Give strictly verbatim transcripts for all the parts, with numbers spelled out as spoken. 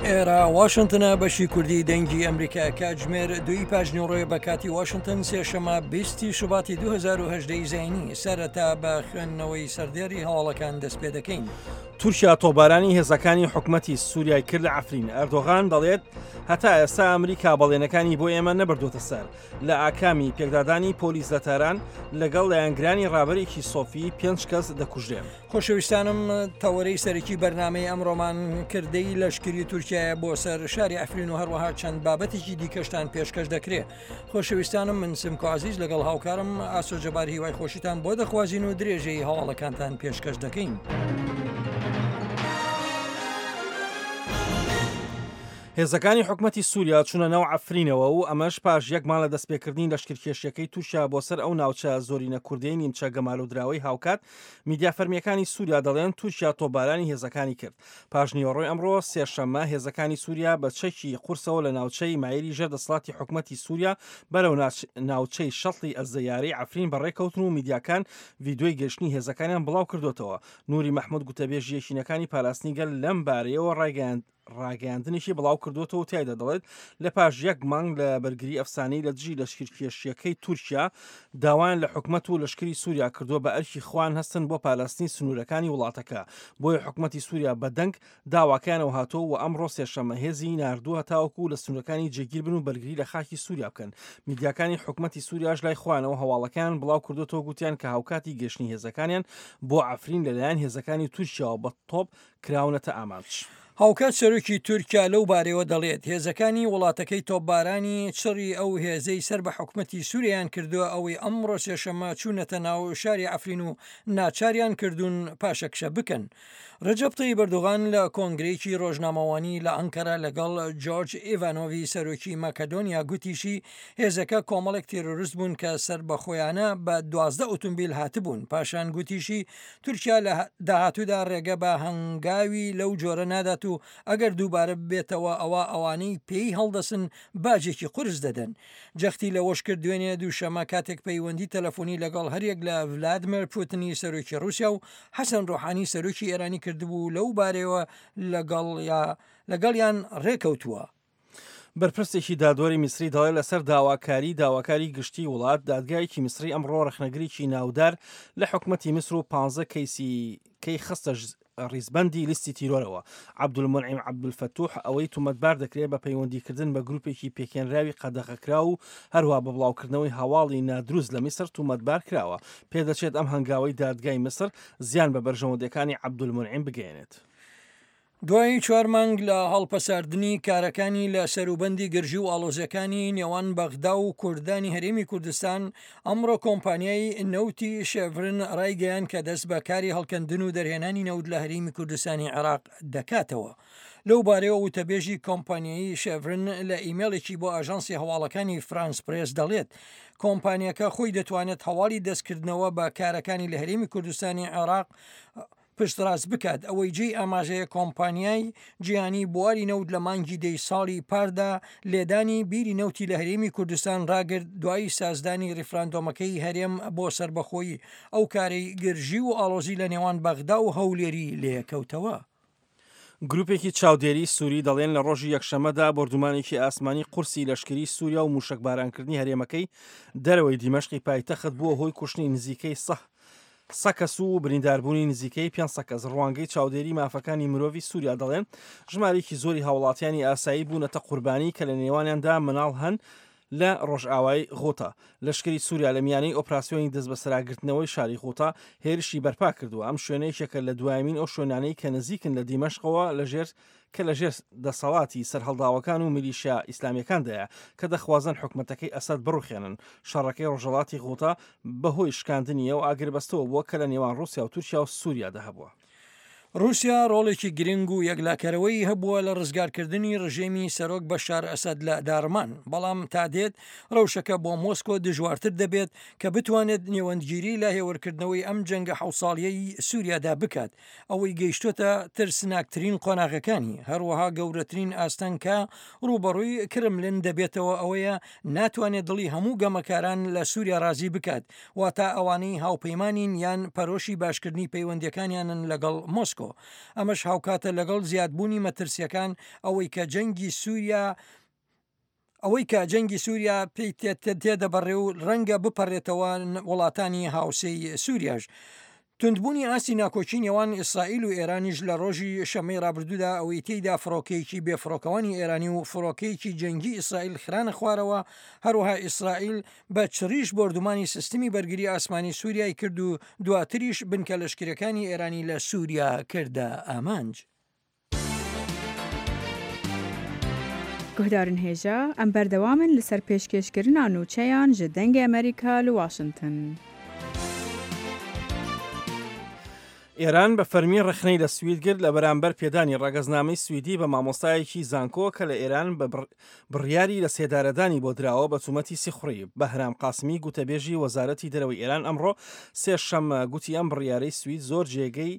ئێرە واشنتنە، بەشی کوردی دەنگی ئەمریکا. کاتژمێر دووی پاش نیوەڕۆیە بە کاتی واشنتن، سێشەمە بیستی شوباتی دوو هەزار و هەژدە زایینی. سەرەتا بە خوێندنەوەی سەردێری هەواڵەکان دەست پێ دەکەین. تورکیا تۆپبارانی هێزەکانی حکومەتی سووریای کرد لە عەفرین. ئەردۆغان دەڵێت هەتا ئێستا ئەمریکا بەڵێنەکانی بۆ ئێمە نەبردوتە سەر. لە ئاکامی پێکدادانی پۆلیس لە تاران لەگەڵ لایەنگرانی ڕابەرێکی سۆفی پێنج کەس دەکوژرێن. خۆشەویستانم، تەوەرەی سەرەکی بەرنامەی ئەمڕۆمان کردەی لەشکری تورکیایە بۆ سەر شاری عەفرین و هەروەها چەند بابەتێکی دیکەشتان پێشکەش دەکرێت. خۆشەویستانم، من سمکۆ عزیز لەگەڵ هاوکارم ئاسۆ جەبار هیوای خۆشیتان بۆ دەخوازین و درێژەی هەواڵەکانتان پێشکەش دەکەین. هێزەکانی حکومەتی سووریا چوونە ناو عەفرینەوە و ئەمەش پاش یەک مانگ لە دەستپێکردنی لەشکرکێشیەکەی تورکیا بۆ سەر ئەو ناوچە زۆرینە کوردەی نیمچە گەمارۆدراوەی. هاوکات میدیا فەرمیەکانی سووریا دەڵێن تورکیا تۆپبارانی هێزەکانی کرد. پاش نیوەڕۆی ئەمڕۆ سێشەممە هێزەکانی سووریا بە چەکی قورسەوە لە ناوچەی مایری ژێر دەسەڵاتی حکومەتی سووریا بەرەو ناوچەی شەتڵی ئەزەیارەی عەفرین بەڕێکەوتن و میدیاکان ڤیدیۆی گەشتنی هێزەکانیان بڵاو کردوتەوە. نوری مەحمود، گوتەبێژی یەکینەکانی پاراستنی گەل، لەم بارەیەوە ڕایگەیاند ڕاگەیاندنێکی بڵاو کردوێتەوە، تایدا دەڵێت لە پاش یەک مانگ لە بەرگری ئەفسانەی لە دژی لەشکرکێشیەکەی تورکیا، داوایان لە حکومەت و لەشکری سووریا کردووە بە ئەرکی خۆیان هەستن بۆ پاراستنی سنوورەکانی وڵاتەکە. بۆیە حکومەتی سووریا بەدەنگ داواکەیانەوە هاتووە و ئەمڕۆ سێشەممە هێزی ناردووە تاوەکو لە سنوورەکانی جێگیر بن و بەرگری لە خاکی سووریا بکەن. میدیاکانی حکومەتی سووریاش لای خۆیانەوە هەواڵەکان بڵاو کردوێتەوە، گوتیان کە هاوکاتی گەشتنی هێزەکانیان بۆ عەفرین لەلایەن هێزەکانی تورکیاوە بە تۆپ کراونەتە ئامانج. هاوکات سەرۆکی تورکیا لەو بارەیەوە دەڵێت هێزەکانی وڵاتەکەی تۆپبارانی چڕی ئەو هێزەی سەر بە حکومەتی سووریان کردووە ئەوەی ئەمڕۆ سێشەممە چوونەتە ناو شاری عەفرین و ناچاریان کردوون پاشەکشە بکەن. ڕەجەب تەیب ئەردۆغان لە کۆنگرەیەکی ڕۆژنامەوانی لە ئەنکەرە لەگەڵ جۆرج ئیڤانۆڤی سەرۆکی مەکەدۆنیا گوتیشی هێزەکە کۆمەڵێک تێرۆریست بوون کە سەر بەخۆیانە بە دوازدە ئۆتۆمبیل هاتبوون. پاشان گوتیشی تورکیا لە داهاتوودا ڕێگە بە هەنگاوی لەو جۆرە نادات و ئەگەر دووبارە ببێتەوە ئەوە ئەوانەی پێی هەڵدەسن باجێکی قورس دەدەن. جەختی لەوەش کرد دوێنێ دووشەمە کاتێک پەیوەندی تەلەفۆنی لەگەڵ هەریەک لە ڤلادیمێر پوتنی سەرۆکی رووسیا و حەسەن ڕۆحانی سەرۆکی ئێرانی کردبوو، لەو بارەیەوە لەگەڵ یا لەگەڵیان ڕێکەوتووە. بەرپرسێکی دادوەری میسری دەڵێت لەسەر داواکاری داواکاری گشتی وڵات، دادگایەکی میسری ئەمڕۆ ڕەخنەگرێکی ناودار لە حکومەتی میسر و پانزە کەیسی کەی خستە ڕیزبندی لیستی تیرۆرەوە. عەبدولمونعیم عەبدولفەتوح ئەوەی تومەتبار دەکرێت بە پەیوەندیکردن بە گروپێکی پێکێنراوی قەدەغەکراو و هەروە بە بڵاوکردنەوەی هەواڵی نادروست لە میسر تومەتبار کراوە. پێدەچێت ئەم هەنگاوی دادگای میسر زیان بە بەرژەوەندەکانی عەبدولمونعیم بگەێنێت. دوای چوار مانگ لە هەڵپەساردنی کارەکانی لە سەروبەندی گرژی و ئاڵۆزیەکانی نێوان بەغدا و کوردانی هەرێمی کوردستان، ئەمڕۆ کۆمپانیای نەوتی شێڤرن ڕایگەیان کە دەست بە کاری هەڵکەندن و دەرهێنانی نەوت لە هەرێمی کوردستانی عێراق دەکاتەوە. لەو بارەیەوە وتەبێژی کۆمپانیایی شێڤرن لە ئیمێڵێکی بۆ ئاژانسی هەواڵەکانی فرانس پرێس دەڵێت کۆمپانیەکە خۆی دەتوانێت هەواڵی دەستکردنەوە بە کارەکانی لە هەرێمی کوردستانی عێراق پشتڕاست بکات. ئەوەی جێی ئاماژەیە، کۆمپانیای جیهانی بواری نەوت لە مانگی دەی ساڵی پاردا لێدانی بیری نەوتی لە هەرێمی کوردستان ڕاگرت دوای سازدانی ڕیفراندۆمەکەی هەرێم بۆ سەربەخۆیی، ئەو کارەی گرژی و ئاڵۆزی لە نێوان بەغدا و هەولێری لێکەوتەوە. گروپێکی چاودێری سووری دەڵێن لە ڕۆژی یەکشەمەدا بۆردومانێکی ئاسمانی قورسی لەشکری سووریا و موشکبارانکردنی هەرێمەکەی دەرەوەی دیمەشقی پایتەخت بووە هۆی کوشتنی نزیکەی سە کەس و برینداربوونی نزیکەی پێنج کەس. ڕوانگەی چاودێری مافەکانی مرۆڤی سووریا دەڵێن ژمارێکی زۆری هاوڵاتیانی ئاسایی بوونەتە قوربانی کە لە نێوانیاندا مناڵ هەن لە ڕۆژئاوای غوتە. لەشکری سووریا لە میانەی ئۆپراسیۆنی دەستبەسەراگرتنەوەی شاری غوتە هێرشی بەرپا کردووە. ئەم شوێنەیەکێکە لە دوایمین ئەو شوێنانەی کە نزیکن لە دیمەشقەوە لەژێر کە لەژێر دەسەڵاتی سەرهەڵداوەکان و میلیشیا ئیسلامیەکاندایە کە دەخوازن حکومەتەکەی ئەسەد بڕوخێنن. شەڕەکەی ڕۆژهەڵاتی غوتە بەهۆی شکاندنی ئەو ئاگربەستەوە بووە کە لە نێوان رووسیا و تورکیا و سووریادا هەبووە. رووسیا ڕۆڵێکی گرنگ و یەکلاکەرەوەی هەبووە لە ڕزگارکردنی ڕژێمی سەرۆک بەشار ئەسەد لە داڕمان، بەڵام تا دێت ڕەوشەکە بۆ مۆسکۆ دژوارتر دەبێت کە بتوانێت نێوەندگیری لە هێورکردنەوەی ئەم جەنگە حەوت ساڵیەی سووریادا بکات ئەوەی گەیشتۆتە ترسناکترین قۆناغەکانی. هەروەها گەورەترین ئاستەنگ کە ڕووبەڕووی کرملن دەبێتەوە ئەوەیە ناتوانێت دڵی هەموو گەمەکاران لە سووریا ڕازی بکات، واتە ئەوانەی هاوپەیمانین یان پەرۆشی باشکردنی پەیوەندیەکانیانن لەگەڵ مۆسکۆ. مۆسکۆ. ئەمەش هاوکاتە لەگەڵ زیادبوونی مەترسیەکان ئەوەی کە جەنگی سووریا ئەوەی کە جەنگی سووریا پێی تێدەبڕێ و ڕەنگە بپەڕێتەوە وڵاتانی هاوسێی سووریاش. توندبوونی ئاستی ناکۆکی نێوان ئیسرائیل و ئێرانیش لە ڕۆژی شەمەی ڕابردوودا ئەوەی تێیدا فڕۆکەیەکی بێفڕۆکەوانی ئێرانی و فڕۆکەیەکی جەنگی ئیسرائیل خرانە خوارەوە. هەروەها ئیسرائیل بە چڕیش بۆردومانی سیستمی بەرگری ئاسمانی سووریای کرد و دواتریش بنکە لەشکرەکانی ئێرانی لە سووریا کردە ئامانج. گوهدارن هێژا ئەم بەردەوامن لەسەر پێشکێشکردنا نوچەیان ji دەنگê ئەمریکا li واشنگتن. ئێران بە فەرمی ڕەخنەی لە سوید گرت لە بەرامبەر پێدانی ڕەگەزنامەی سویدی بە مامۆستایەکی زانکۆ کە لە ئێران بە بڕیاری لە سێدارەدانی بۆ دراوە بە تومەتی سیخوڕی. بەهرام قاسمی گوتەبێژی وەزارەتی دەرەوەی ئێران ئەمڕۆ سێشەممە گوتی ئەم بڕیارەی سوید زۆر جێگەی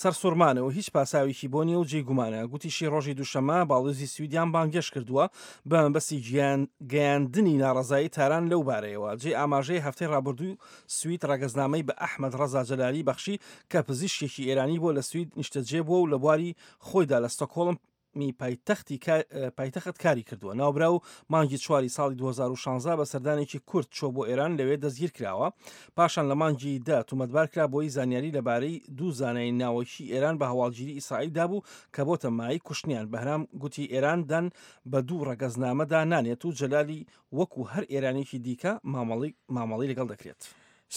سەرسوڕمانە و هیچ پاساوێکی بۆ نییە و جێگومانە. گوتیشی ڕۆژی دووشەممە باڵیۆزی سویدیان بانگێشت کردووە بە مەبەستی گەیاندنی ناڕەزایی تاران لەو بارەیەوە. جێ ئاماژەی هەفتەی ڕابردوو سوید ڕەگەزنامەی بە ئەحمەد ڕەزا جەلالی بەخشی کە پزیشکێکی ئێرانی بووە لە سوید نیشتەجێ بووە و لە بواری خۆیدا لە ستۆکهۆڵم می پایتەختی پایتەخت کاری کردووە. ناوبراو مانگی چواری ساڵی دوو هەزار و شانزە بە سەردانێکی کورت چۆ بۆ ئێران لەوێ دەستگیر کراوە. پاشان لە مانگی دە تومەتبار کرا بۆی زانیاری لەبارەی دوو زانای ناوەکی ئێران بە هەواڵگیری ئیسرائیل دابوو کە بۆتە مایەی کوشتنیان. بەهرام گوتی ئێران دان بە دوو ڕەگەزنامەدا نانێت و جەلالی وەکو هەر ئێرانێکی دیکە مامەڵی لەگەڵ دەکرێت.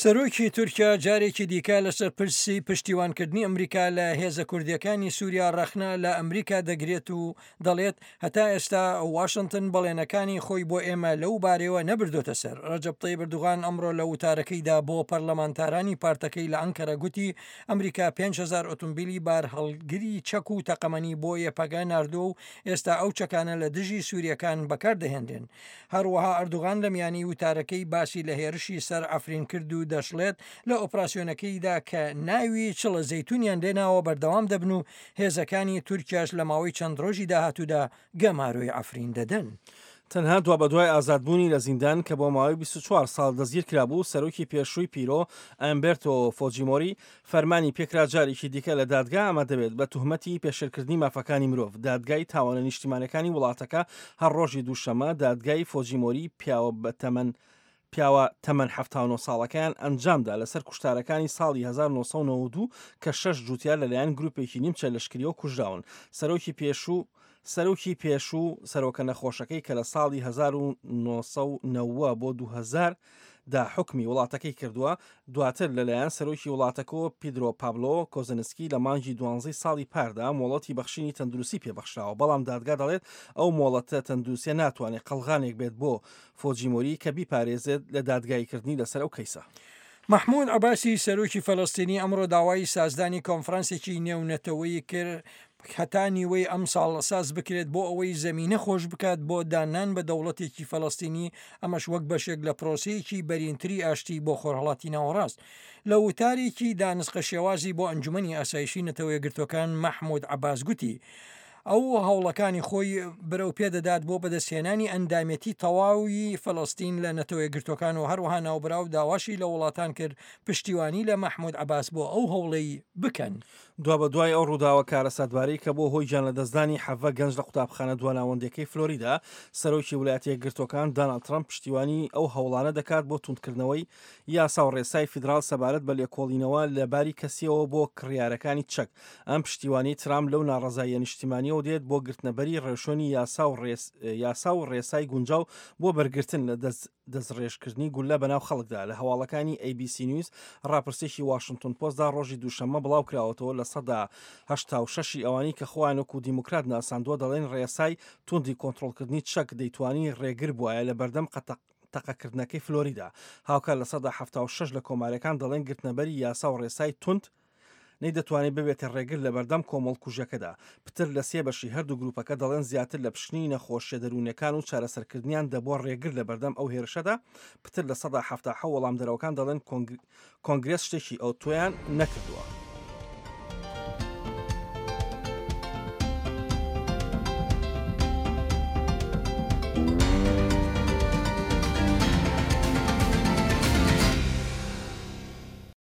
سەرۆکی تورکیا جارێکی دیکە لەسەر پرسی پشتیوانکردنی ئەمریکا لە هێزە کوردیەکانی سووریا ڕەخنە لە ئەمریکا دەگرێت و دەڵێت هەتا ئێستا واشنگتن بەڵێنەکانی خۆی بۆ ئێمە لەو بارەوە نەبردۆتە سەر. ڕەجەب تەیب ئەردۆغان ئەمڕۆ لە وتارەکەیدا بۆ پەرلەمانتارانی پارتەکەی لە ئەنکەرە گوتی ئەمریکا پێنج هەزار ئۆتۆمبیلی بارهەڵگری چەک و تەقەمەنی بۆ یەپەگە ناردووە و ئێستا ئەو چەکانە لە دژی سووریەکان بەکاردەهێنرێن. هەروەها ئەردۆغان لە میانی وتارەکەی باسی لە هێرشی سەر عەفرین کرد و دەشڵێت لە ئۆپراسیۆنەکەیدا کە ناوی چڵە زەیتونیان لێناوە بەردەوام دەبن و هێزەکانی تورکیاش لە ماوەی چەند ڕۆژی داهاتوودا گەمارۆی عەفرین دەدەن. تەنها دوا بەدوای ئازادبوونی لە زیندان کە بۆ ماوەی بیست و چوار ساڵ دەستگیر کرابوو، سەرۆکی پێشووی پیرۆ ئەمبرتۆ فۆجیمۆری فەرمانی پێکرا جارێکی دیکە لە دادگا ئامادە بێت بە تهمەتی پێشێلکردنی مافەکانی مرۆڤ. دادگای تاوانە نیشتیمانەکانی وڵاتەکە هەر ڕۆژی دووشەممە دادگای فۆجیمۆری پیاوە بەتەمەن پیاوە تەمەن حەفتا و نۆ ساڵەکەیان ئەنجامدا لەسەر کوشتارەکانی ساڵی هەزار و نۆ سەد و نەوەد و دوو کە شەش جووتیار لەلایەن گروپێکی نیمچە لەشکریەوە کوژراون. سەرۆکی پێشوو سەرۆکی پێشوو سەرۆکە نەخۆشەکەی کە لە ساڵی هەزار و نۆ سەد و نەوەد بۆ دوو هەزار دا حکمی وڵاتەکەی کردووە، دواتر لەلایەن سەرۆکی وڵاتەکەەوە پیدرۆ پابلۆ کۆزنسکی لە مانگی دوانزەی ساڵی پاردا مۆڵەتی بەخشینی تەندروستی پێبەخشراوە، بەڵام دادگا دەڵێت ئەو مۆڵەتە تەندروستیە ناتوانێت قەڵغانێک بێت بۆ فۆجیمۆری کە بیپارێزێت لە دادگاییکردنی لەسەر ئەو کەیسە. مەحمود عەباسی سەرۆکی فەلەستینی ئەمڕۆ داوای سازدانی کۆنفرانسێکی نێونەتەوەیی کرد هەتا نیوەی ئەم ساڵ ساز بکرێت بۆ ئەوەی زمینە خۆش بکات بۆ دانان بە دەوڵەتێکی فەلەستینی، ئەمەش وەک بەشێک لە پرۆسەیەکی بەرینتری ئاشتی بۆ خۆرهەڵاتی ناوەڕاست. لە وتارێکی دانسقە شێوازی بۆ ئەنجومەنی ئاسایشی نەتەوە یەکگرتووەکان مەحمود عەباس گوتی ئەو هەوڵەکانی خۆی برەو پێدەدات بۆ بەدەستهێنانی ئەندامێتی تەواوی فەلەستین لە نەتەوە یەکگرتووەکان و هەروەها ناوبراو داواشی لە وڵاتان کرد پشتیوانی لە مەحمود عەباس بۆ ئەو هەوڵەی بکەن. دوا بە دوای ئەو ڕووداوە کارەساتبارەی کە بۆ هۆی گیان لەدەستدانی حەڤە گەنج لە قوتابخانە دواناوەندەکەی فلۆریدا، سەرۆکی ویلایەتە یەکگرتووەکان داناڵد ترەمپ پشتیوانی ئەو هەوڵانە دەکات بۆ توندکردنەوەی یاسا و ڕێسای فیدراڵ سەبارەت بە لێکۆڵینەوە لە باری کەسیەوە بۆ کڕیارەکانی چەک. ئەم پشتیوانی ترامپ لەو ناڕەزاییە نیشتیمانیەوە دێت بۆ گرتنەبەری ڕێوشوێنی یاسا و ڕێسای گونجاو بۆ بەرگرتن لە دەستڕێژکردنی گولە بەناو خەڵکدا. لە هەواڵەکانی ئەی بی سی نیوز ڕاپرسێکی واشنگتن پۆستدا ڕۆژی دووشەممە بڵاو کراوەتەوە لە سەدا هەشتا و شەشی ئەوانەی کە خۆیان وەکو دیموکرات ناساندووە دەڵێن ڕێسای توندی کۆنترۆڵکردنی چەک دەیتوانی ڕێگر بوایە لە بەردەم تەقەکردنەکەی فلۆریدا. هاوکات لە سەدا حەفتا و شەش لە کۆمارەکان دەڵێن گرتنەبەری یاسا و ڕێسای توند نەیدەتوانێت ببێتە ڕێگر لە بەردەم کۆمەڵکوژەکەدا. پتر لە سێ بەشی هەردوو گروپەکە دەڵێن زیاتر لە پشکنینی نەخۆشیە دەروونیەکان و چارەسەرکردنیان دەبووە ڕێگر لە بەردەم ئەو هێرشەدا. پتر لە سەدا حەفتا حەوت وەڵامدەرەوەکان دەڵێن کۆنگرێس شتێکی ئەوتۆیان نەکردووە.